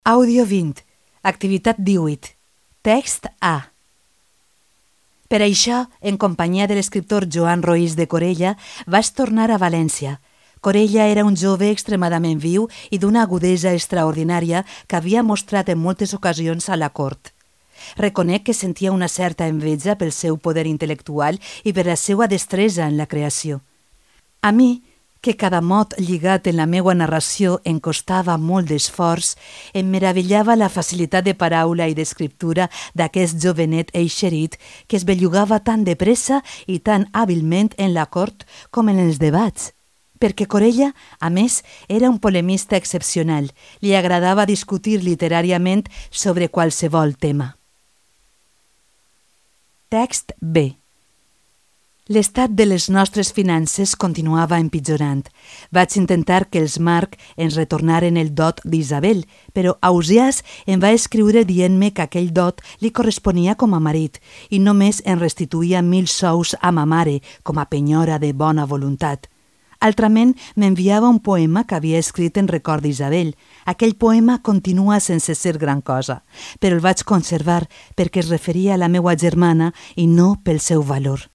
Àudio 20. Activitat 18. Text A. Per això, en companyia de l'escriptor Joan Roís de Corella, vaig tornar a València. Corella era un jove extremadament viu i d'una agudesa extraordinària que havia mostrat en moltes ocasions a la cort. Reconec que sentia una certa enveja pel seu poder intel·lectual i per la seva destresa en la creació. A mi, que cada mot lligat en la meua narració em costava molt d'esforç, em meravellava la facilitat de paraula i d'escriptura d'aquest jovenet eixerit que es bellugava tan de pressa i tan hàbilment en la cort com en els debats. Perquè Corella, a més, era un polemista excepcional. Li agradava discutir literàriament sobre qualsevol tema. Text B. L'estat de les nostres finances continuava empitjorant. Vaig intentar que els Marc ens retornaren el dot d'Isabel, però Ausiàs em va escriure dient-me que aquell dot li corresponia com a marit i només en restituïa 1.000 sous a ma mare com a penyora de bona voluntat. Altrament, m'enviava un poema que havia escrit en record d'Isabel. Aquell poema continua sense ser gran cosa, però el vaig conservar perquè es referia a la meua germana i no pel seu valor.